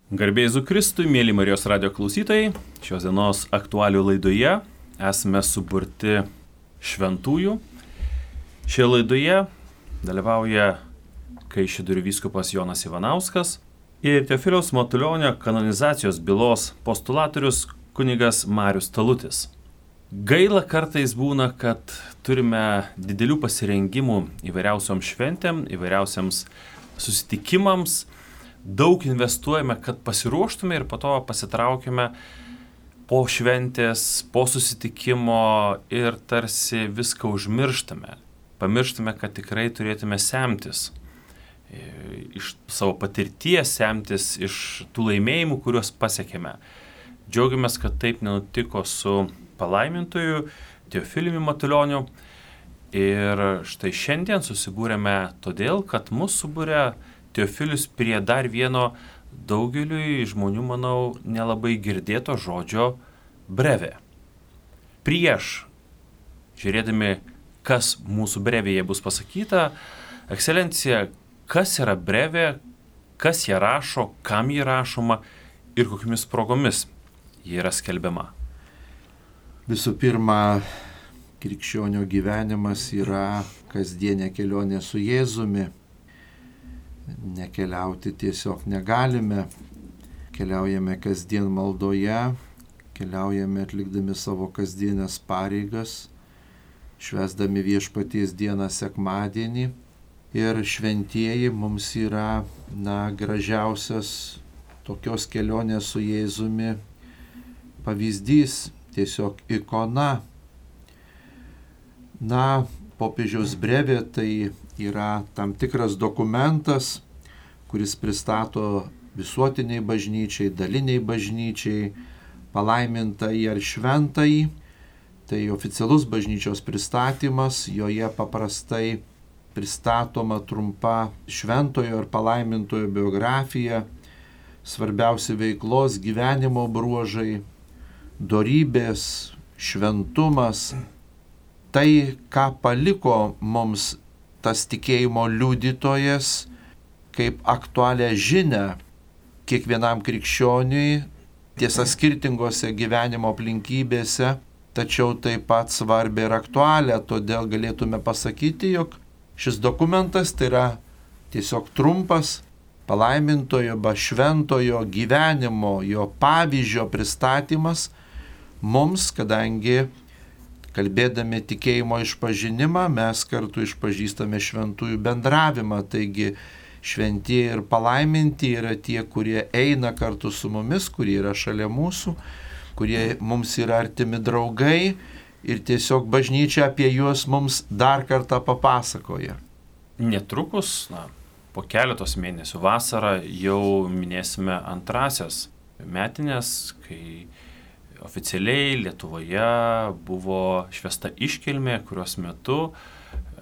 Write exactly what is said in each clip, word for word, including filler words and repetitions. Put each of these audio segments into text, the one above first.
Garbė Jėzui Kristui, mėly Marijos radijo klausytojai, šios dienos aktualių laidoje esame suburti šventųjų. Šioje laidoje dalyvauja Kaišiadorių vyskupas Jonas Ivanauskas ir Teofiliaus Matulionio kanonizacijos bylos postulatorius kunigas Marius Talutis. Gaila kartais būna, kad turime didelių pasirengimų įvairiausioms šventėm, įvairiausiams susitikimams. Daug investuojame, kad pasiruoštume ir po to pasitraukime po šventės, po susitikimo ir tarsi viską užmirštame. Pamirštame, kad tikrai turėtume semtis iš savo patirties, semtis iš tų laimėjimų, kuriuos pasiekėme. Džiaugiamės, kad taip nenutiko su palaimintoju Teofiliumi Matulioniu. Ir štai šiandien susibūrėme todėl, kad mus subūrė Teofilius prie dar vieno daugeliui žmonių, manau, nelabai girdėto žodžio brevė. Prieš, žiūrėdami, kas mūsų brevėje bus pasakyta, ekscelencija, kas yra brevė, kas ją rašo, kam ji rašoma ir kokiamis progomis ji yra skelbiama. Visų pirma, krikščionio gyvenimas yra kasdienė kelionė su Jėzumi. Nekeliauti tiesiog negalime, keliaujame kasdien maldoje, keliaujame atlikdami savo kasdienės pareigas, švęsdami Viešpaties dieną sekmadienį ir šventieji mums yra, na, gražiausias tokios kelionės su Jėzumi pavyzdys, tiesiog ikona. Na, popiežiaus brevė tai yra tam tikras dokumentas, kuris pristato visuotiniai bažnyčiai, daliniai bažnyčiai, palaimintąjį ar šventąjį. Tai oficialus bažnyčios pristatymas, joje paprastai pristatoma trumpa šventojo ir palaimintojo biografija, svarbiausi veiklos gyvenimo bruožai, dorybės, šventumas. Tai, ką paliko mums tas tikėjimo liudytojas, kaip aktualią žinią kiekvienam krikščioniui, tiesa skirtingose gyvenimo aplinkybėse, tačiau taip pat svarbią ir aktualią, todėl galėtume pasakyti, jog šis dokumentas tai yra tiesiog trumpas palaimintojo ba šventojo gyvenimo, jo pavyzdžio pristatymas mums, kadangi kalbėdami tikėjimo išpažinimą, mes kartu išpažįstame šventųjų bendravimą, taigi šventieji ir palaiminti yra tie, kurie eina kartu su mumis, kurie yra šalia mūsų, kurie mums yra artimi draugai ir tiesiog bažnyčia apie juos mums dar kartą papasakoja. Netrukus, na, po keletos mėnesių vasarą jau minėsime antrasias metinės, kai oficialiai Lietuvoje buvo švęsta iškilmė, kurios metu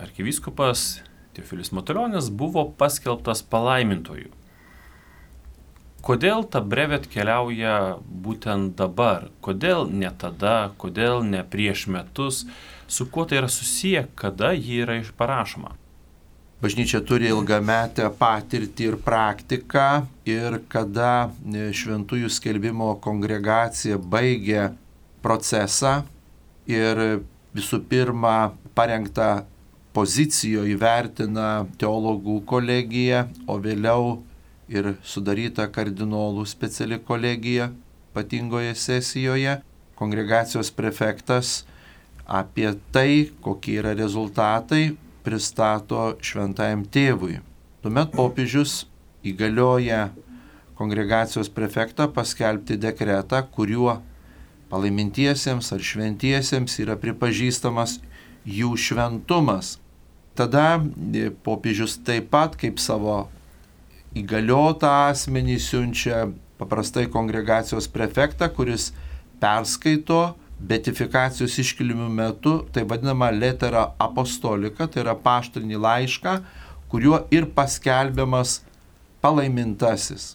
arkivyskupas Teofilis Matulionis buvo paskelbtas palaimintoju. Kodėl ta brevė atkeliauja būtent dabar? Kodėl ne tada? Kodėl ne prieš metus? Su kuo tai yra susiję? Kada ji yra parašoma? Bažnyčia turi ilgametę patirtį ir praktiką ir kada šventųjų skelbimo kongregacija baigė procesą ir visų pirma parengtą pozicijoje įvertina teologų kolegija, o vėliau ir sudaryta kardinolų speciali kolegija ypatingoje sesijoje, kongregacijos prefektas apie tai, kokie yra rezultatai, pristato šventajam tėvui. Tuomet popiežius įgalioja kongregacijos prefektą paskelbti dekretą, kuriuo palaimintiesiems ar šventiesiems yra pripažįstamas jų šventumas. Tada popiežius taip pat kaip savo įgaliotą asmenį siunčia paprastai kongregacijos prefektą, kuris perskaito beatifikacijos iškilmių metu tai vadinama letera apostolika, tai yra apaštalinį laišką, kuriuo ir paskelbiamas palaimintasis.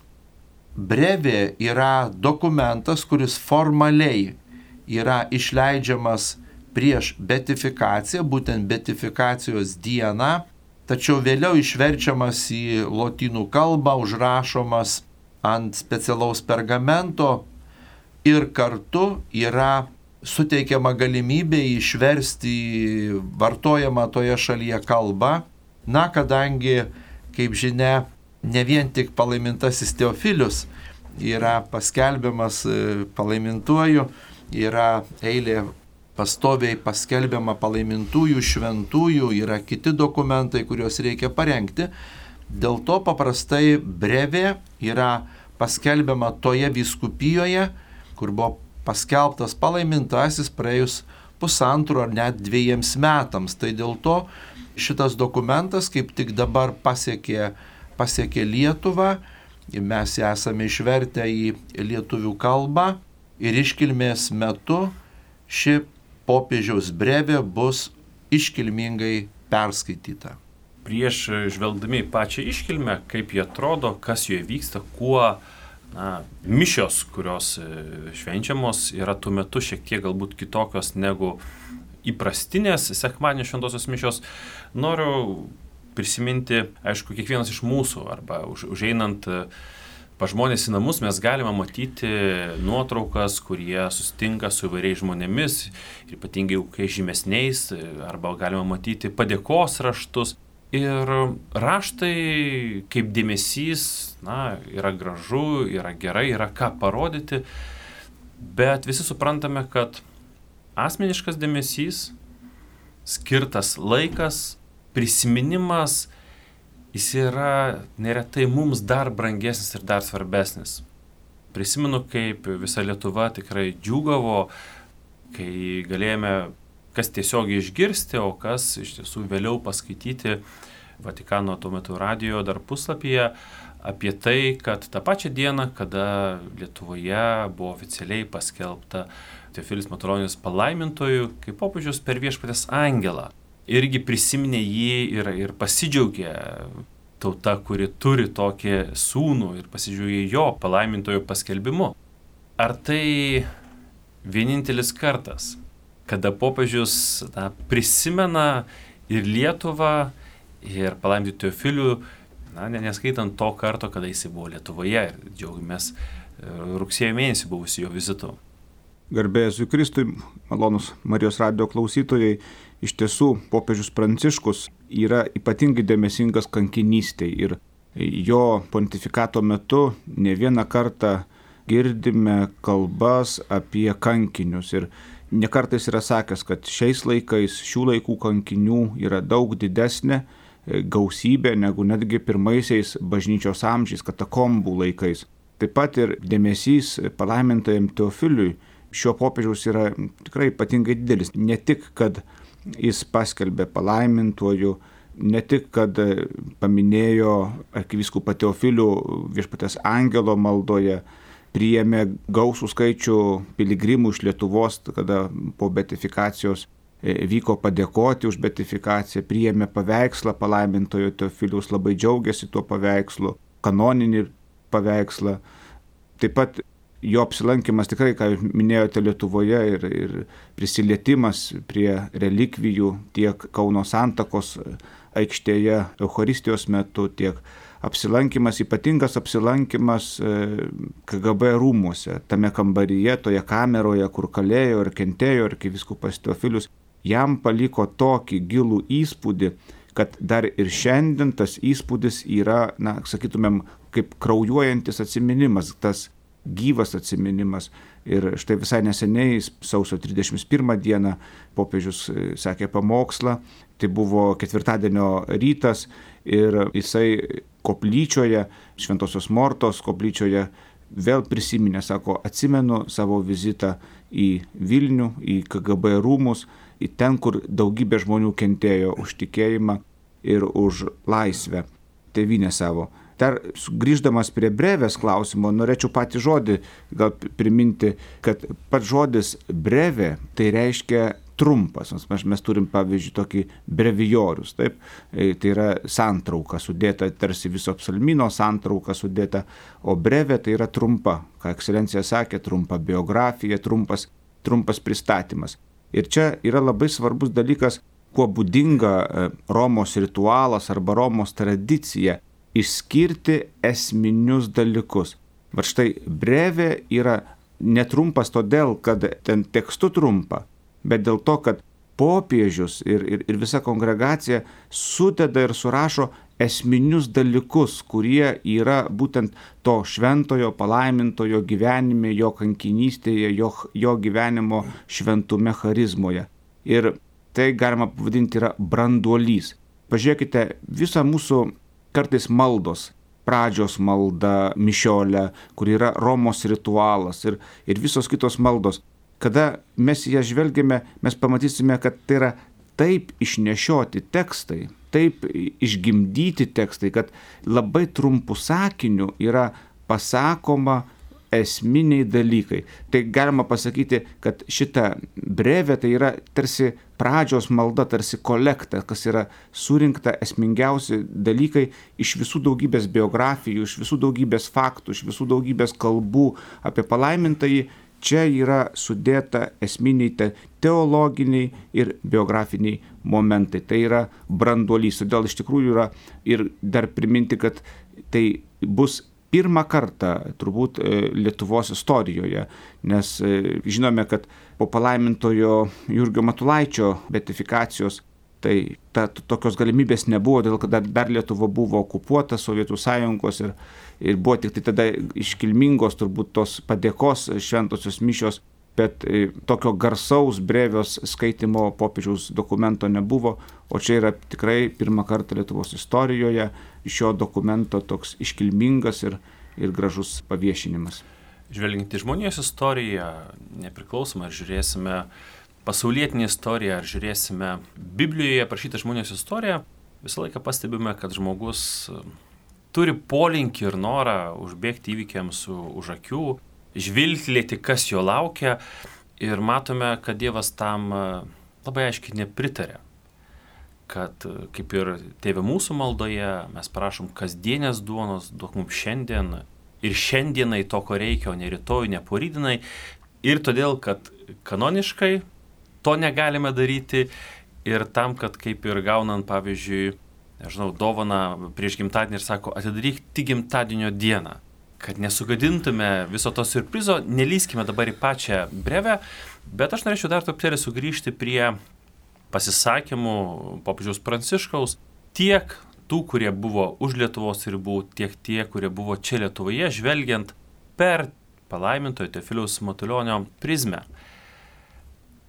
Brevė yra dokumentas, kuris formaliai yra išleidžiamas prieš beatifikaciją, būtent beatifikacijos dieną, tačiau vėliau išverčiamas į lotynų kalbą, užrašomas ant specialaus pergamento ir kartu yra suteikiama galimybė išversti vartojamą toje šalyje kalbą. Na, kadangi, kaip žinia, ne vien tik palaimintasis Teofilius yra paskelbiamas palaimintuoju, yra eilė pastoviai paskelbiama palaimintųjų, šventųjų, yra kiti dokumentai, kuriuos reikia parengti. Dėl to paprastai brevė yra paskelbiama toje vyskupijoje, kur buvo paskelbtas palaimintasis praėjus pusantro ar net dviejiems metams. Tai dėl to šitas dokumentas kaip tik dabar pasiekė, pasiekė Lietuvą. Mes esame išvertę į lietuvių kalbą ir iškilmės metu ši popiežiaus brevė bus iškilmingai perskaityta. Prieš žvelgdami į pačią iškilmę, kaip jie atrodo, kas joje vyksta, kuo na, mišios, kurios švenčiamos, yra tuo metu šiek tiek galbūt kitokios negu įprastinės sekmadienio šventosios mišios, noriu prisiminti, aišku, kiekvienas iš mūsų, arba už, užeinant pas žmonės į namus, mes galime matyti nuotraukas, kurie susitinka su įvairiais žmonėmis, ypatingai kai žymesniais, arba galime matyti padėkos raštus. Ir raštai kaip dėmesys, na, yra gražu, yra gerai, yra ką parodyti, bet visi suprantame, kad asmeniškas dėmesys, skirtas laikas, prisiminimas, jis yra neretai mums dar brangesnis ir dar svarbesnis. Prisimenu, kaip visa Lietuva tikrai džiūgavo, kai galėjome kas tiesiogiai išgirsti, o kas iš tiesų vėliau paskaityti Vatikano tuo metu radijo dar puslapyje apie tai, kad tą pačią dieną, kada Lietuvoje buvo oficialiai paskelbta Teofilis Matulionis palaimintoju, kaip popiežius per Viešpaties angelą. Irgi prisiminė jį ir, ir pasidžiaugė tauta, kuri turi tokį sūnų ir pasidžiaugė jo palaimintojo paskelbimu. Ar tai vienintelis kartas, kada popiežius na, prisimena ir Lietuvą, ir palaiminti Teofilių, na, neskaitant to karto, kada jis buvo Lietuvoje ir džiaugiamės rugsėjo mėnesį buvusiu jo vizitu. Garbė Jėzui Kristui, malonus Marijos radijo klausytojai, iš tiesų popiežius Pranciškus yra ypatingai dėmesingas kankinystei ir jo pontifikato metu ne vieną kartą girdime kalbas apie kankinius ir ne kartais yra sakęs, kad šiais laikais šių laikų kankinių yra daug didesnė gausybė negu netgi pirmaisiais bažnyčios amžiais, katakombų laikais. Taip pat ir dėmesys palaimintajam Teofiliui šio popiežiaus yra tikrai ypatingai didelis. Ne tik, kad jis paskelbė palaimintuoju, ne tik, kad paminėjo arkivyskupą Teofilių Viešpaties angelo maldoje, priėmė gausų skaičių piligrimų iš Lietuvos, kada po beatifikacijos vyko padėkoti už beatifikaciją, priėmė paveikslą palaimintojo Teofiliaus, labai džiaugiasi tuo paveikslu, kanoninį paveikslą. Taip pat jo apsilankimas tikrai, ką minėjote Lietuvoje, ir, ir prisilietimas prie relikvijų tiek Kauno Santakos aikštėje Eucharistijos metu, tiek apsilankimas, ypatingas apsilankimas K G B rūmuose, tame kambaryje, toje kameroje, kur kalėjo ir kentėjo arkivyskupas Teofilius, jam paliko tokį gilų įspūdį, kad dar ir šiandien tas įspūdis yra, na, sakytumėm, kaip kraujuojantis atsiminimas, tas gyvas atsiminimas. Ir štai visai neseniai, sausio trisdešimt pirmą dieną, popiežius sakė pamokslą, tai buvo ketvirtadienio rytas ir jisai koplyčioje, Šventosios Mortos koplyčioje vėl prisiminė, sako, atsimenu savo vizitą į Vilnių, į K G B rūmus, į ten, kur daugybė žmonių kentėjo už tikėjimą ir už laisvę, tėvynę savo. Dar grįždamas prie brevės klausimo, norėčiau patį žodį gal priminti, kad pats žodis brevė tai reiškia trumpas. Mes, mes turim, pavyzdžiui, tokį brevijorius, taip? Tai yra santrauka sudėta, tarsi viso psalmino santrauka sudėta, o brevė tai yra trumpa, ką ekscelencija sakė, trumpa biografija, trumpas, trumpas pristatymas. Ir čia yra labai svarbus dalykas, kuo būdinga Romos ritualas arba Romos tradicija, išskirti esminius dalykus. Va štai brevė yra netrumpas todėl, kad ten tekstu trumpa, bet dėl to, kad popiežius ir, ir, ir visa kongregacija sudeda ir surašo esminius dalykus, kurie yra būtent to šventojo palaimintojo gyvenime, jo kankinystėje, jo, jo gyvenimo šventume charizmoje. Ir tai galima pavadinti yra branduolys. Pažiūrėkite, visą mūsų kartais maldos, pradžios malda, mišiolė, kur yra Romos ritualas ir, ir visos kitos maldos. Kada mes ją žvelgiame, mes pamatysime, kad tai yra taip išnešioti tekstai, taip išgimdyti tekstai, kad labai trumpų sakinių yra pasakoma esminiai dalykai. Tai galima pasakyti, kad šita brevė tai yra tarsi pradžios malda, tarsi kolekta, kas yra surinkta esmingiausi dalykai iš visų daugybės biografijų, iš visų daugybės faktų, iš visų daugybės kalbų apie palaimintąjį. Čia yra sudėta esminiai te teologiniai ir biografiniai momentai. Tai yra branduolys. Todėl iš tikrųjų yra ir dar priminti, kad tai bus pirmą kartą turbūt Lietuvos istorijoje, nes žinome, kad po palaimintojo Jurgio Matulaičio beatifikacijos tai ta, tokios galimybės nebuvo, dėl kad dar Lietuva buvo okupuota Sovietų sąjungos ir, ir buvo tik tai tada iškilmingos turbūt tos padėkos šventosios mišios, bet tokio garsaus brevės skaitimo popiežiaus dokumento nebuvo, o čia yra tikrai pirmą kartą Lietuvos istorijoje šio dokumento toks iškilmingas ir, ir gražus paviešinimas. Žvelgiant į žmonijos istoriją, nepriklausomai ar žiūrėsime pasaulietinę istoriją, ar žiūrėsime Biblijoje aprašytą žmonijos istoriją, visą laiką pastebime, kad žmogus turi polinkį ir norą užbėgti įvykiams už akių, žvilgtelėti, kas jo laukia, ir matome, kad Dievas tam labai aiškiai nepritarė. Kad kaip ir Tėve mūsų maldoje mes prašom kasdienės duonos, duok mums šiandien ir šiandienai to, ko reikia, o ne rytoj, ne porydienai. Ir todėl, kad kanoniškai to negalime daryti ir tam, kad kaip ir gaunant, pavyzdžiui, nežinau, dovaną prieš gimtadienį ir sako, atidaryk tik gimtadienio dieną. Kad nesugadintume viso to siurprizo, nelįskime dabar į pačią brevę, bet aš norėčiau dar truputėlį sugrįžti prie pasisakymų popiežiaus Pranciškaus, tiek tų, kurie buvo už Lietuvos ribų, tiek tie, kurie buvo čia Lietuvoje, žvelgiant per palaimintojo Teofiliaus Matulionio prizmę.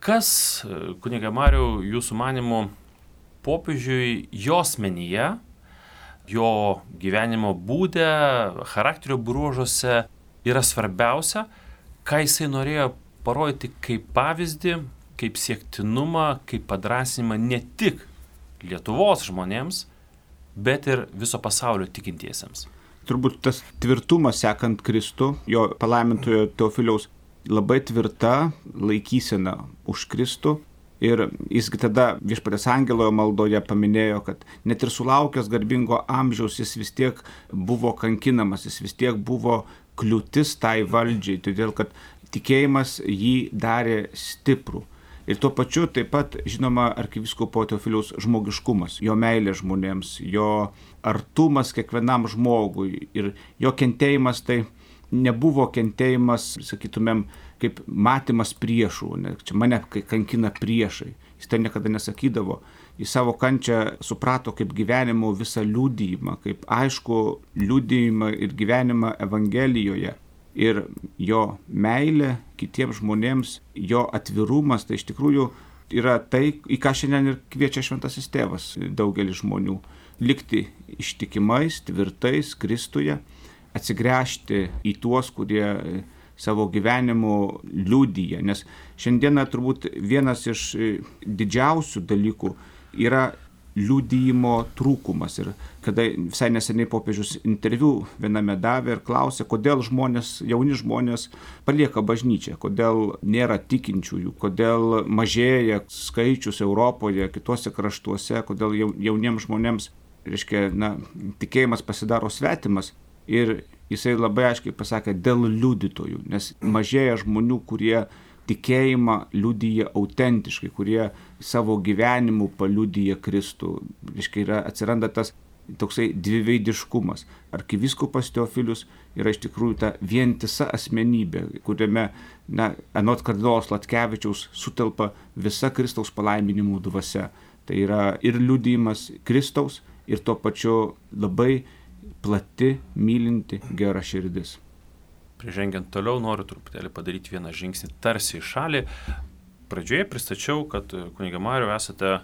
Kas, kuniga Mariau, jūsų manymu, popiežiui jo asmenyje, jo gyvenimo būde, charakterio bruožuose yra svarbiausia, ką jisai norėjo parodyti kaip pavyzdį, kaip siektinumą, kaip padrąsinimą ne tik Lietuvos žmonėms, bet ir viso pasaulio tikintiesiems. Turbūt tas tvirtumas sekant Kristų, jo palaimintojo Teofiliaus labai tvirta laikysena už Kristų. Ir jisgi tada Viešpaties angelo maldoje paminėjo, kad net ir sulaukęs garbingo amžiaus jis vis tiek buvo kankinamas, jis vis tiek buvo kliūtis tai valdžiai, todėl kad tikėjimas jį darė stiprų. Ir tuo pačiu taip pat, žinoma, arkivyskupo Teofiliaus žmogiškumas, jo meilė žmonėms, jo artumas kiekvienam žmogui ir jo kentėjimas tai nebuvo kentėjimas, sakytumėm, kaip matymas priešų, ne, čia mane kankina priešai. Jis tai niekada nesakydavo. Jis savo kančią suprato kaip gyvenimo visą liudijimą, kaip aišku liudijimą ir gyvenimą Evangelijoje. Ir jo meilė kitiems žmonėms, jo atvirumas, tai iš tikrųjų yra tai, į ką šiandien ir kviečia Šventasis Tėvas daugelį žmonių. Likti ištikimais, tvirtais Kristuje, atsigręžti į tuos, kurie savo gyvenimu liudija. Nes šiandieną turbūt vienas iš didžiausių dalykų yra liudijimo trūkumas. Ir kada visai neseniai popiežius interviu viename davė ir klausė, kodėl žmonės, jauni žmonės palieka bažnyčią, kodėl nėra tikinčiųjų, kodėl mažėja skaičius Europoje, kitose kraštuose, kodėl jauniems žmonėms, reiškia, na, tikėjimas pasidaro svetimas. Ir jisai labai aiškiai pasakė dėl liudytojų, nes mažėja žmonių, kurie tikėjimą liudyja autentiškai, kurie savo gyvenimu paliudyja Kristų. Reiškia, yra, atsiranda tas toksai dviveidiškumas. Arkivyskupas Teofilius yra iš tikrųjų ta vientisa asmenybė, kuriame, na, anot kardinolos Latkevičiaus sutelpa visa Kristaus palaiminimų dvasia. Tai yra ir liudijimas Kristaus, ir tuo pačiu labai plati, mylinti, gera širdis. Prižengiant toliau, noriu truputėlį padaryti vieną žingsnį tarsi į šalį. Pradžioje pristačiau, kad kunige Mariau esate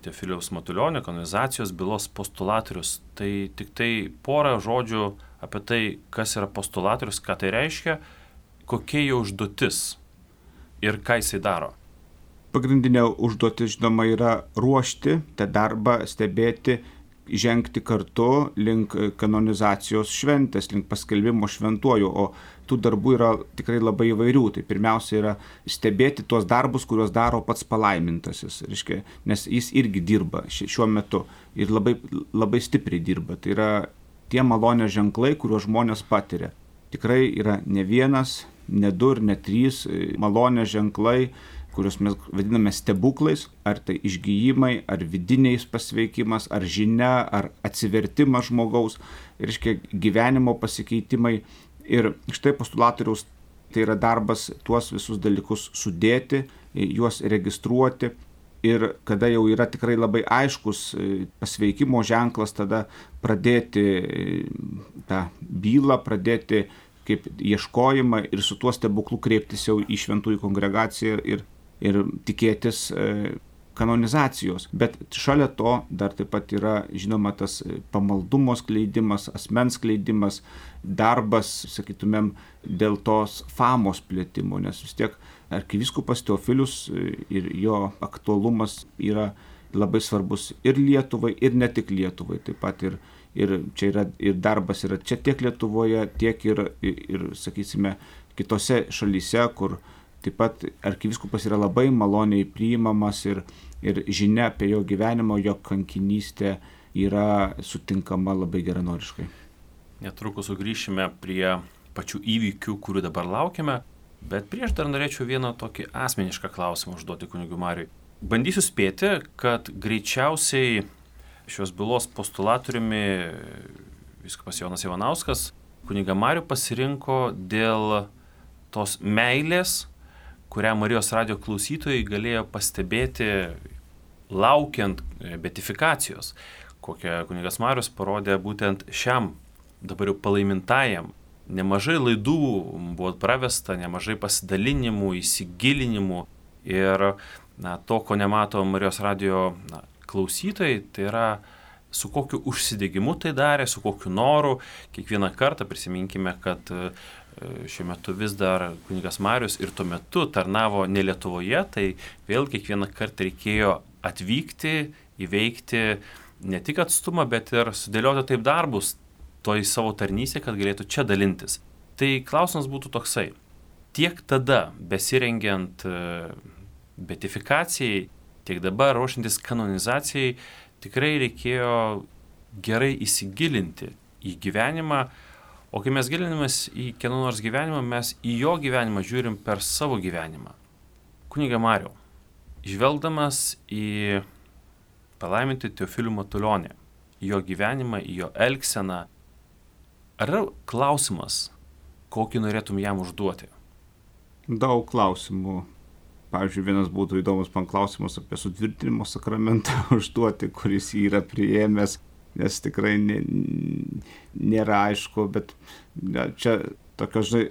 Teofiliaus Matulionio kanonizacijos bylos postulatorius. Tai tik tai porą žodžių apie tai, kas yra postulatorius, ką tai reiškia, kokia jo užduotis ir ką jisai daro. Pagrindinė užduotis, žinoma, yra ruošti tą darbą, stebėti, žengti kartu link kanonizacijos šventės, link paskelbimo šventuoju, o tų darbų yra tikrai labai įvairių. Tai pirmiausia yra stebėti tuos darbus, kuriuos daro pats palaimintasis, reiškia, nes jis irgi dirba šiuo metu ir labai, labai stipriai dirba. Tai yra tie malonės ženklai, kuriuos žmonės patiria. Tikrai yra ne vienas, ne du ir ne trys malonės ženklai, kuriuos mes vadiname stebuklais, ar tai išgijimai, ar vidiniais pasveikimas, ar žinia, ar atsivertimas žmogaus, reiškia gyvenimo pasikeitimai. Ir štai postulatoriaus tai yra darbas tuos visus dalykus sudėti, juos registruoti. Ir kada jau yra tikrai labai aiškus pasveikimo ženklas, tada pradėti tą bylą, pradėti kaip ieškojimą ir su tuo stebuklu kreiptis jau į šventųjų kongregaciją ir ir tikėtis kanonizacijos. Bet šalia to dar taip pat yra, žinoma, tas pamaldumo skleidimas, asmens skleidimas, darbas, sakytumėm, dėl tos famos plėtimo, nes vis tiek arkivyskupas Teofilius ir jo aktualumas yra labai svarbus ir Lietuvai, ir ne tik Lietuvai. Taip pat ir, ir čia yra ir darbas yra čia tiek Lietuvoje, tiek ir, ir, ir sakysime, kitose šalyse, kur taip pat arkivyskupas yra labai maloniai priimamas ir, ir žinia apie jo gyvenimo, jo kankinystę yra sutinkama labai geranoriškai. Netrukus sugrįšime prie pačių įvykių, kurių dabar laukiame, bet prieš dar norėčiau vieną tokį asmenišką klausimą užduoti kunigui Mariui. Bandysiu spėti, kad greičiausiai šios bylos postulatoriumi vyskupas Jonas Ivanauskas kunigą Marių pasirinko dėl tos meilės, kurią Marijos radijo klausytojai galėjo pastebėti laukiant beatifikacijos, kokią kunigas Marius parodė būtent šiam dabar jau palaimintajam. Nemažai laidų buvo pravesta, nemažai pasidalinimų, įsigilinimų ir na, to, ko nemato Marijos radijo na, klausytojai, tai yra su kokiu užsidegimu tai darė, su kokiu noru. Kiekvieną kartą prisiminkime, kad šiuo metu vis dar kunigas Marius ir tuo metu tarnavo ne Lietuvoje, tai vėl kiekvieną kartą reikėjo atvykti, įveikti ne tik atstumą, bet ir sudėlioti taip darbus toj savo tarnystėje, kad galėtų čia dalintis. Tai klausimas būtų toksai. Tiek tada, besirengiant beatifikacijai, tiek dabar ruošiantis kanonizacijai, tikrai reikėjo gerai įsigilinti į gyvenimą. O kai mes gilinamės į kieno nors gyvenimą, mes į jo gyvenimą žiūrim per savo gyvenimą. Kunige Mariau, žvelgdamas į palaimintį Teofilių Matulionį, į jo gyvenimą, į jo elgseną, ar yra klausimas, kokį norėtum jam užduoti? Daug klausimų. Pavyzdžiui, vienas būtų įdomus man klausimas apie sutvirtinimo sakramentą užduoti, kuris jį yra priėmęs. Nes tikrai nė, nėra aišku, bet ja, čia tokio, žinai,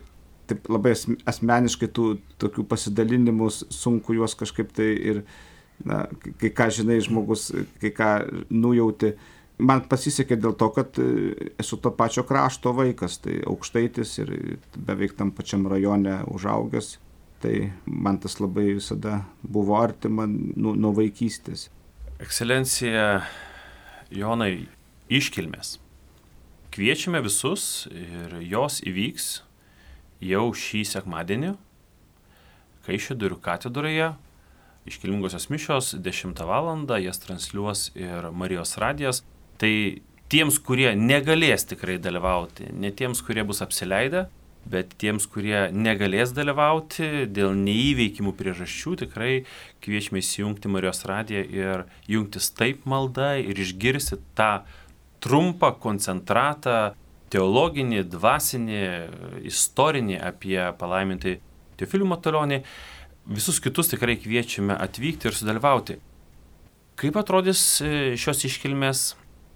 taip labai asmeniškai tų tokių pasidalinimų sunku juos kažkaip tai ir, na, kai ką žinai žmogus, kai ką nujauti. Man pasisekė dėl to, kad esu to pačio krašto vaikas, tai aukštaitis ir beveik tam pačiam rajone užaugęs, tai man tas labai visada buvo artima nuo, nuo vaikystės. Ekscelencija Jonai, iškilmės. Kviečiame visus ir jos įvyks jau šį sekmadienį Kaišiadorių katedroje. Iškilmingosios mišios dešimtą valandą, jas transliuos ir Marijos radijas. Tai tiems, kurie negalės tikrai dalyvauti, ne tiems, kurie bus apsileidę, bet tiems, kurie negalės dalyvauti dėl neįveikimų priežasčių, tikrai kviečiame įsijungti Marijos radiją ir jungtis taip malda ir išgirsti tą trumpą koncentratą, teologinį, dvasinį, istorinį apie palaimintai Teofilių Matulionį. Visus kitus tikrai kviečiame atvykti ir sudalyvauti. Kaip atrodys šios iškilmės,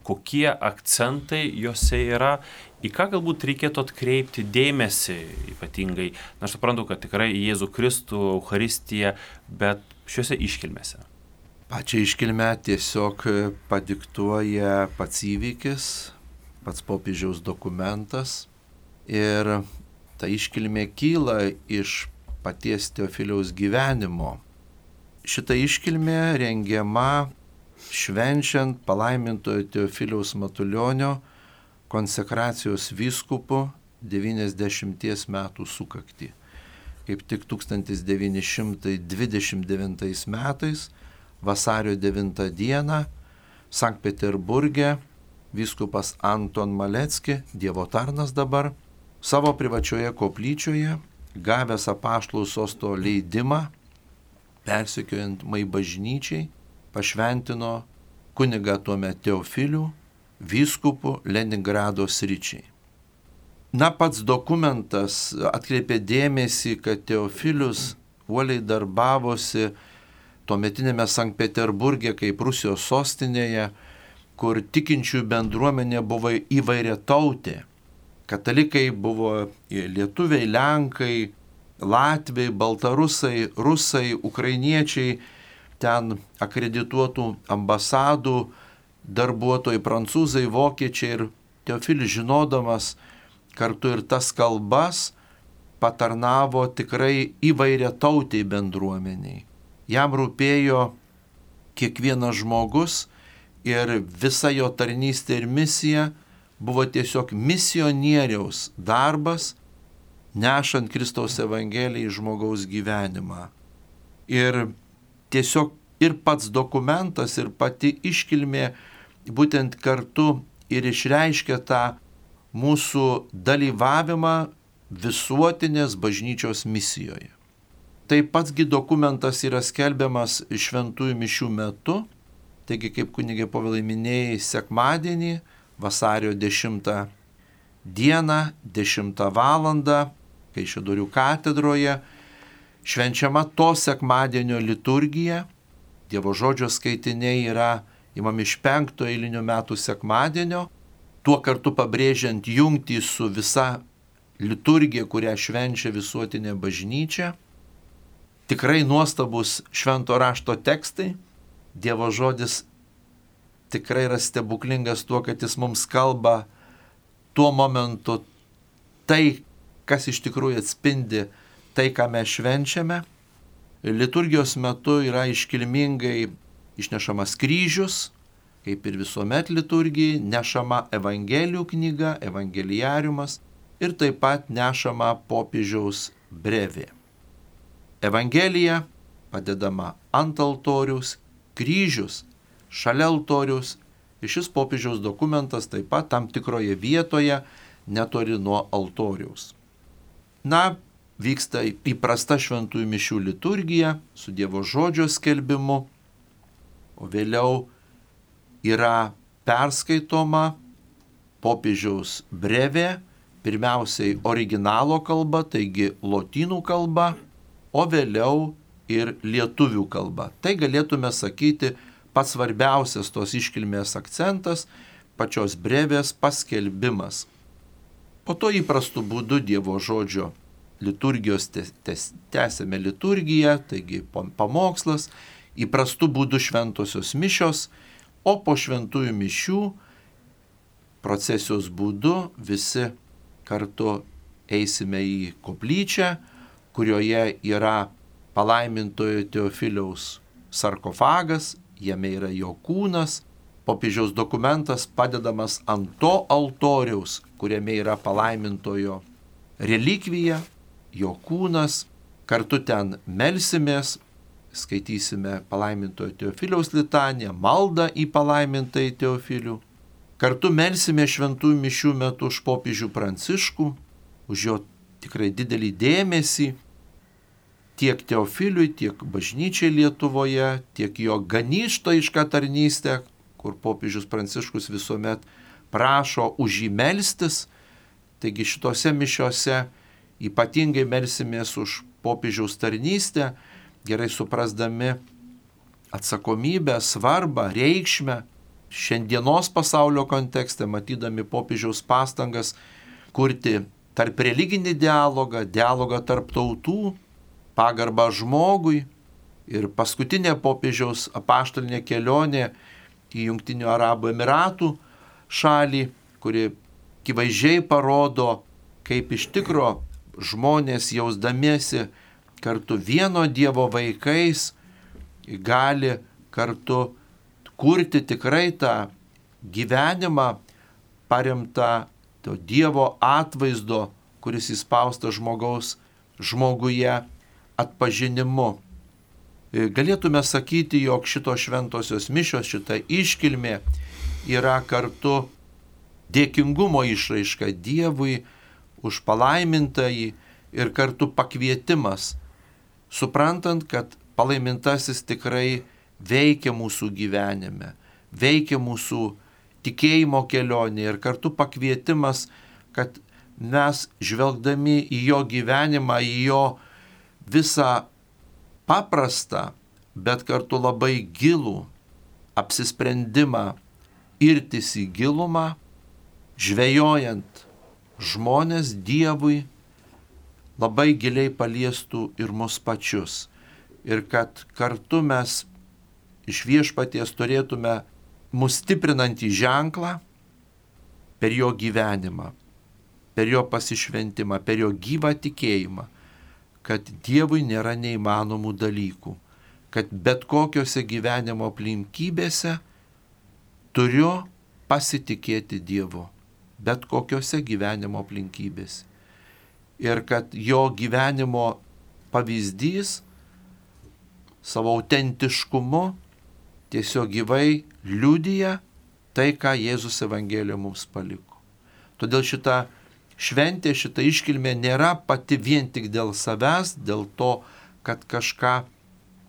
kokie akcentai juose yra, į ką galbūt reikėtų atkreipti dėmesį ypatingai. Na, aš suprantu, kad tikrai į Jėzų Kristų, Eucharistiją, bet šiuose iškilmėse. Pačią iškilmę tiesiog padiktuoja pats įvykis, pats popiežiaus dokumentas ir ta iškilmė kyla iš paties Teofiliaus gyvenimo. Šita iškilmė rengiama švenčiant palaimintojo Teofiliaus Matulionio konsekracijos vyskupu devyniasdešimties metų sukaktį. Kaip tik tūkstantis devyni šimtai dvidešimt devintais metais, vasario devintą dieną, Sankt Peterburge, vyskupas Anton Malecki, Dievo tarnas dabar, savo privačioje koplyčioje, gavęs apaštalų sosto leidimą, persekiojamai bažnyčiai, pašventino kunigą tuomet Teofilių, vyskupų Leningrado sričiai. Na, pats dokumentas atkreipė dėmesį, kad Teofilius uoliai darbavosi tuometinėme Sankt Peterburge kaip Rusijos sostinėje, kur tikinčiųjų bendruomenė buvo įvairiatautė. Katalikai buvo lietuviai, lenkai, latviai, baltarusai, rusai, ukrainiečiai, ten akredituotų ambasadų darbuotojai, prancūzai, vokiečiai, ir Teofilis, žinodamas kartu ir tas kalbas, patarnavo tikrai įvairiatautiai bendruomeniai. Jam rūpėjo kiekvienas žmogus ir visa jo tarnystė ir misija buvo tiesiog misionieriaus darbas, nešant Kristaus Evangeliją į žmogaus gyvenimą. Ir tiesiog ir pats dokumentas, ir pati iškilmė būtent kartu ir išreiškia tą mūsų dalyvavimą visuotinės bažnyčios misijoje. Tai patsgi dokumentas yra skelbiamas šventųjų mišių metu, taigi kaip kunigė Povilai minėjai, sekmadienį, vasario dešimtą dieną, dešimtą valandą, Kaišiadorių katedroje, švenčiama to sekmadienio liturgija. Dievo žodžio skaitiniai yra imami iš penkto eilinių metų sekmadienio, tuo kartu pabrėžiant jungtį su visa liturgija, kurią švenčia visuotinė bažnyčia. Tikrai nuostabus švento rašto tekstai. Dievo žodis tikrai yra stebuklingas tuo, kad jis mums kalba tuo momentu tai, kas iš tikrųjų atspindi tai, ką mes švenčiame. Liturgijos metu yra iškilmingai išnešamas kryžius, kaip ir visuomet liturgijai, nešama Evangelijų knyga, evangeliariumas ir taip pat nešama popiežiaus brevė. Evangelija padedama ant altoriaus, kryžius šalia altoriaus, ir šis popiežiaus dokumentas taip pat tam tikroje vietoje netoli nuo altoriaus. Na, vyksta įprasta šventųjų mišių liturgija su Dievo žodžio skelbimu, o vėliau yra perskaitoma popiežiaus brevė, pirmiausiai originalo kalba, taigi lotynų kalba, o vėliau ir lietuvių kalba. Tai galėtume sakyti pats svarbiausias tos iškilmės akcentas, pačios brevės paskelbimas. Po to įprastu būdu Dievo žodžio liturgijos tęsiame liturgiją, taigi pamokslas, įprastu būdu šventosios mišios, o po šventųjų mišių procesijos būdu visi kartu eisime į koplyčią, kurioje yra palaimintojo Teofiliaus sarkofagas, jame yra jo kūnas, popiežiaus dokumentas padedamas ant to altoriaus, kuriame yra palaimintojo relikvija, jo kūnas, kartu ten melsimės, skaitysime palaimintojo Teofiliaus litaniją, maldą į palaimintai Teofilių, kartu melsime šventųjų mišių metu už popiežių Pranciškų, už jo tikrai didelį dėmesį, tiek Teofiliui, tiek bažnyčiai Lietuvoje, tiek jo ganytojišką tarnystę, kur popiežius Pranciškus visuomet prašo už jį melstis. Taigi šitose mišiose ypatingai melsimės už popiežiaus tarnystę, gerai suprasdami atsakomybę, svarbą, reikšmę šiandienos pasaulio kontekste, matydami popiežiaus pastangas kurti tarp religinį dialogą, dialogą tarp tautų, pagarbą žmogui. Ir paskutinė popiežiaus apaštalinė kelionė į Jungtinių Arabų Emiratų šalį, kuri akivaizdžiai parodo, kaip iš tikro žmonės jausdamiesi kartu vieno Dievo vaikais gali kartu kurti tikrai tą gyvenimą paremtą to Dievo atvaizdo, kuris įspaustas žmogaus žmoguje atpažinimu. Galėtume sakyti, jog šitos šventosios mišios, šita iškilmė yra kartu dėkingumo išraiška Dievui už palaimintąjį ir kartu pakvietimas, suprantant, kad palaimintasis tikrai veikia mūsų gyvenime, veikia mūsų tikėjimo kelionė ir kartu pakvietimas, kad mes žvelgdami į jo gyvenimą, į jo visą paprastą, bet kartu labai gilų apsisprendimą irtis į gilumą, žvejojant žmonės Dievui, labai giliai paliestų ir mus pačius. Ir kad kartu mes iš Viešpaties turėtume mus stiprinantį ženklą per jo gyvenimą, per jo pasišventimą, per jo gyvą tikėjimą, kad Dievui nėra neįmanomų dalykų, kad bet kokiose gyvenimo aplinkybėse turiu pasitikėti Dievu, bet kokiose gyvenimo aplinkybėse. Ir kad jo gyvenimo pavyzdys savo autentiškumu tiesiog gyvai liudija tai, ką Jėzus Evangelijoje mums paliko. Todėl šita šventė, šita iškilmė nėra pati vien tik dėl savęs, dėl to, kad kažką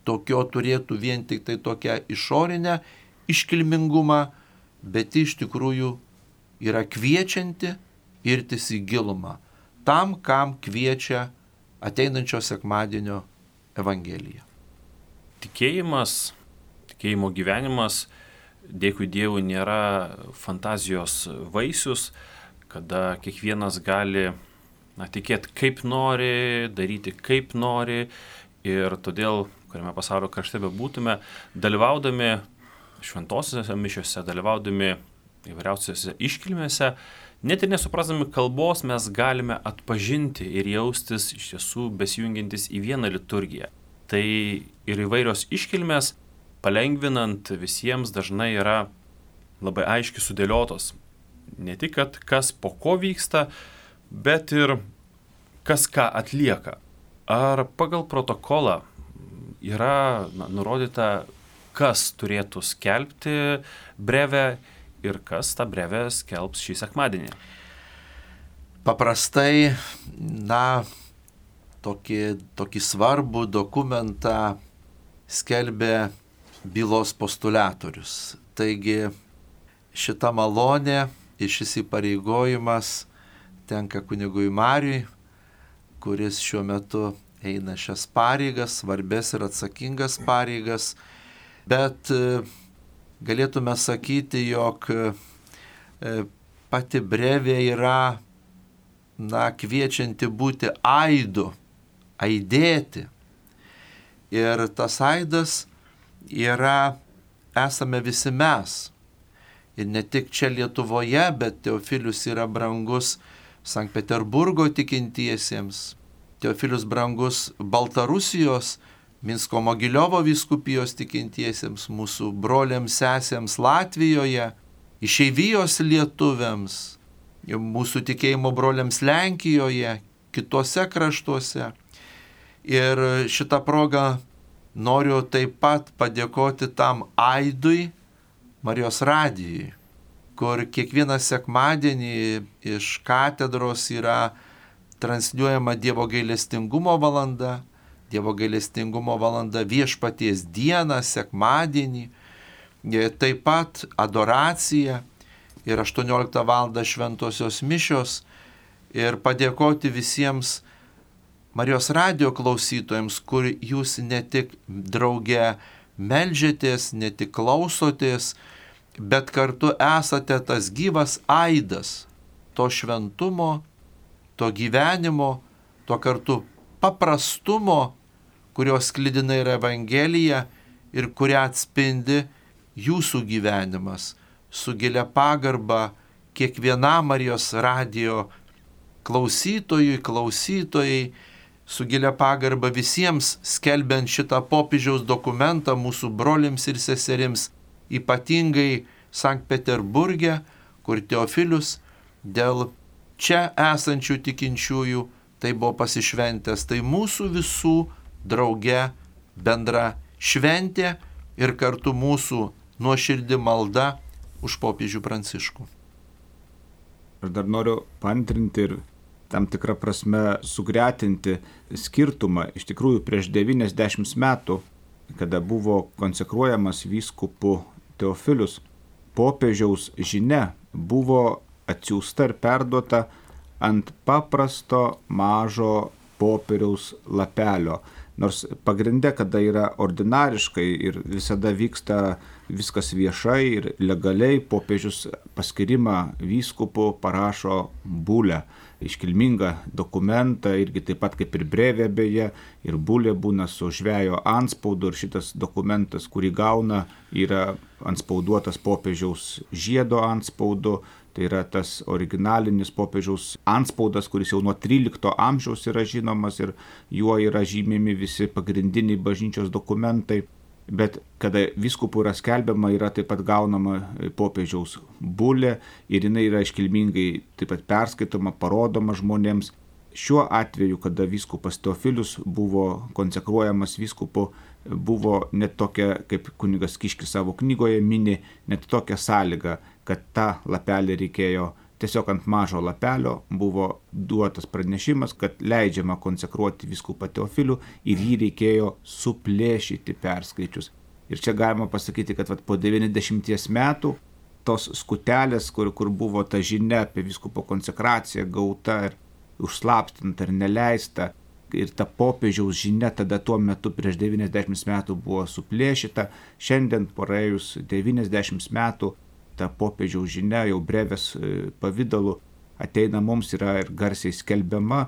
tokio turėtų vien tik tai tokią išorinę iškilmingumą, bet iš tikrųjų yra kviečianti irtis į gilumą, tam, kam kviečia ateinančio sekmadienio Evangelija. Tikėjimas, tikėjimo gyvenimas, dėkui Dievui, nėra fantazijos vaisius, kada kiekvienas gali na, tikėti kaip nori, daryti kaip nori ir todėl, kuriame pasaulio krašte bebūtume, dalyvaudami šventosiuose mišiuose, dalyvaudami įvairiausiose iškilmėse, net ir nesuprasdami kalbos mes galime atpažinti ir jaustis iš tiesų besijungiantis į vieną liturgiją. Tai ir įvairios iškilmės, palengvinant visiems, dažnai yra labai aiškiai sudėliotos. Ne tik, kad kas po ko vyksta, bet ir kas ką atlieka. Ar pagal protokolą yra na, nurodyta, kas turėtų skelbti brevę ir kas tą brevę skelbs šį sekmadienį? Paprastai, na, tokį, tokį svarbų dokumentą skelbia bylos postulatorius. Taigi šita malonė ir šis įpareigojimas tenka kunigui Mariui, kuris šiuo metu eina šias pareigas, svarbės ir atsakingas pareigas, bet galėtume sakyti, jog pati brevė yra na, kviečianti būti aidu, aidėti. Ir tas aidas yra, esame visi mes. Ir ne tik čia Lietuvoje, bet Teofilius yra brangus Sankt Peterburgo tikintiesiems. Teofilius brangus Baltarusijos, Minsko Mogiliovo vyskupijos tikintiesiems, mūsų broliams, sesėms Latvijoje, išeivijos lietuviams, mūsų tikėjimo broliams Lenkijoje, kitose kraštuose. Ir šitą progą noriu taip pat padėkoti tam aidui Marijos radijui, kur kiekvieną sekmadienį iš katedros yra transliuojama Dievo gailestingumo valanda, Dievo gailestingumo valanda Viešpaties dieną, sekmadienį, taip pat adoracija ir aštuonioliktą valandą šventosios mišios ir padėkoti visiems Marijos radijo klausytojams, kur jūs ne tik drauge meldžiatės, ne tik klausotės, bet kartu esate tas gyvas aidas to šventumo, to gyvenimo, to kartu paprastumo, kurios sklidina ir Evangelija ir kurią atspindi jūsų gyvenimas, su gilia pagarba kiekvienam Marijos radijo klausytojui, klausytojai, su gilia pagarba visiems skelbiant šitą popiežiaus dokumentą mūsų broliams ir seserims, ypatingai Sankt Peterburge, kur Teofilius dėl čia esančių tikinčiųjų tai buvo pasišventęs. Tai mūsų visų drauge bendra šventė ir kartu mūsų nuoširdi malda už popiežių Pranciškų. Aš dar noriu paantrinti ir tam tikrą prasme sugretinti skirtumą. Iš tikrųjų, prieš devyniasdešimt metų, kada buvo konsekruojamas vyskupu Teofilius, popiežiaus žinia buvo atsiųsta ir perduota ant paprasto mažo popieriaus lapelio. Nors pagrinde, kada yra ordinariškai ir visada vyksta viskas viešai ir legaliai, popiežius paskirimą vyskupu parašo bulę, iškilmingą dokumentą, irgi taip pat kaip ir brevė beje, ir bulė būna su žvejo antspaudu ir šitas dokumentas, kurį gauna, yra antspauduotas popiežiaus žiedo antspaudu. Tai yra tas originalinis popiežiaus antspaudas, kuris jau nuo trylikto amžiaus yra žinomas ir juo yra žymimi visi pagrindiniai bažnyčios dokumentai. Bet kada vyskupų yra skelbiama, yra taip pat gaunama popiežiaus bulė ir jinai yra iškilmingai taip pat perskaitoma, parodoma žmonėms. Šiuo atveju, kada vyskupas Teofilius buvo konsekruojamas vyskupu, buvo net tokia, kaip kunigas Kiškis savo knygoje mini, net tokia sąlyga, kad tą lapelį reikėjo, tiesiog ant mažo lapelio buvo duotas pranešimas, kad leidžiama konsekruoti vyskupą Teofilių ir jį reikėjo suplėšyti perskaičius. Ir čia galima pasakyti, kad vat, po devyniasdešimties metų tos skutelės, kur, kur buvo ta žinia apie vyskupo konsekraciją gauta ir užslapstinta ir neleista, ir ta popiežiaus žinia tada tuo metu prieš devyniasdešimt metų buvo suplėšyta. Šiandien praėjus devyniasdešimt metų ta popiežiaus žinia jau brevės pavidalu ateina mums, yra ir garsiai skelbiama.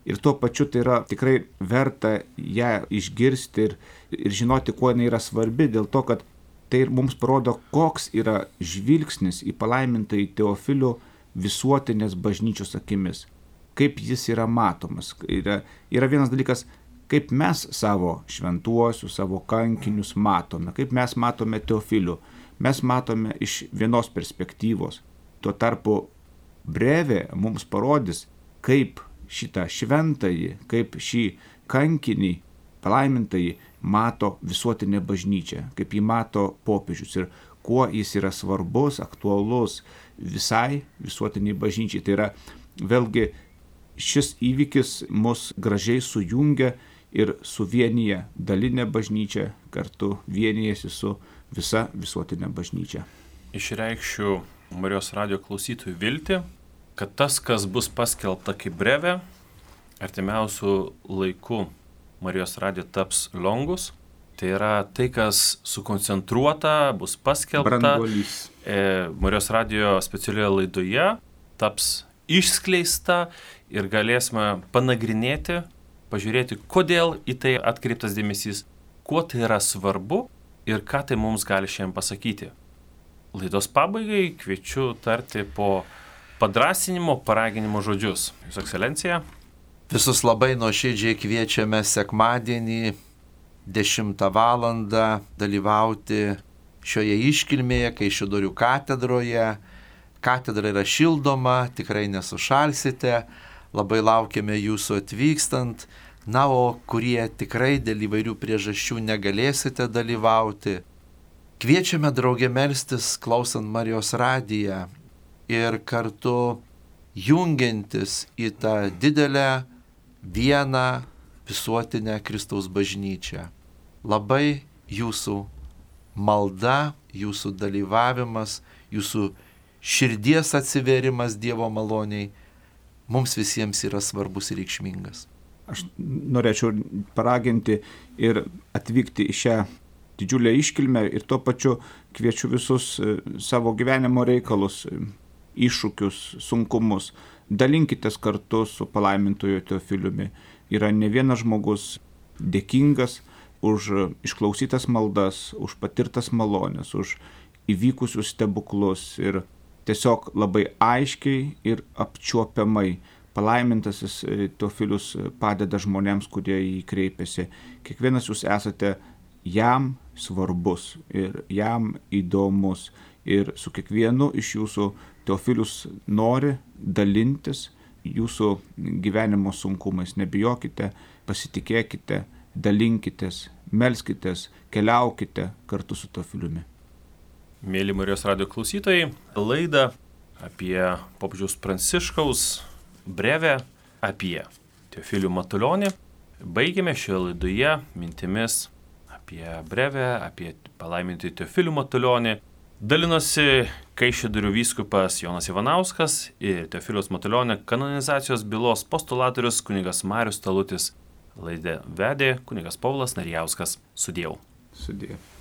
Ir tuo pačiu tai yra tikrai verta ją išgirsti ir, ir žinoti, kuo jinai yra svarbi, dėl to, kad tai mums parodo, koks yra žvilgsnis į palaimintąjį Teofilių visuotinės bažnyčios akimis. Kaip jis yra matomas. Yra, yra vienas dalykas, kaip mes savo šventuosius, savo kankinius matome, kaip mes matome Teofilių. Mes matome iš vienos perspektyvos. Tuo tarpu brevė mums parodys, kaip šitą šventąjį, kaip šį kankinį palaimintąjį mato visuotinė bažnyčia, kaip jį mato popiežius ir kuo jis yra svarbus, aktualus visai visuotiniai bažnyčiai. Tai yra vėlgi šis įvykis mus gražiai sujungia ir suvienyje dalinę bažnyčią, kartu vienijasi su visa visuotinė bažnyčia. Išreikščiau Marijos radijo klausytojų viltį, kad tas, kas bus paskelbta kaip brevė, artimiausių laikų Marijos radijo taps longus. Tai yra tai, kas sukoncentruota, bus paskelbta. Branduolys. E, Marijos radijo specialioje laidoje taps išskleista ir galėsime panagrinėti, pažiūrėti, kodėl į tai atkreiptas dėmesys, kuo tai yra svarbu ir ką tai mums gali šiandien pasakyti. Laidos pabaigai kviečiu tarti po padrasinimo, paraginimo žodžius. Jūsų ekscelencija. Visus labai nuoširdžiai kviečiame sekmadienį dešimtą valandą dalyvauti šioje iškilmėje, Kaišiadorių katedroje. Katedra yra šildoma, tikrai nesušalsite, labai laukiame jūsų atvykstant. Na, o kurie tikrai dėl įvairių priežasčių negalėsite dalyvauti, kviečiame draugė melstis, klausant Marijos radiją ir kartu jungiantis į tą didelę vieną visuotinę Kristaus bažnyčią. Labai jūsų malda, jūsų dalyvavimas, jūsų širdies atsiverimas Dievo maloniai mums visiems yra svarbus ir reikšmingas. Aš norėčiau paraginti ir atvykti į šią didžiulę iškilmę ir tuo pačiu kviečiu visus savo gyvenimo reikalus, iššūkius, sunkumus. Dalinkitės kartu su palaimintojo Teofiliumi. Yra ne vienas žmogus dėkingas už išklausytas maldas, už patirtas malonės, už įvykusius stebuklus ir tiesiog labai aiškiai ir apčiuopiamai palaimintasis Teofilius padeda žmonėms, kurie į jį kreipiasi. Kiekvienas jūs esate jam svarbus ir jam įdomus ir su kiekvienu iš jūsų Teofilius nori dalintis jūsų gyvenimo sunkumais. Nebijokite, pasitikėkite, dalinkitės, melskitės, keliaukite kartu su Teofiliumi. Mėly Marijos radijo klausytojai, laidą apie popiežiaus Pranciškaus brevę apie Teofilių Matulionį baigėme šioje laidoje mintimis apie brevę, apie palaimintį Teofilių Matulionį. Dalinosi Kaišiadorių vyskupas Jonas Ivanauskas ir Teofiliaus Matulionio kanonizacijos bylos postulatorius kunigas Marius Talutis. Laidą vedė kunigas Povilas Narijauskas. Sudiev. Sudiev.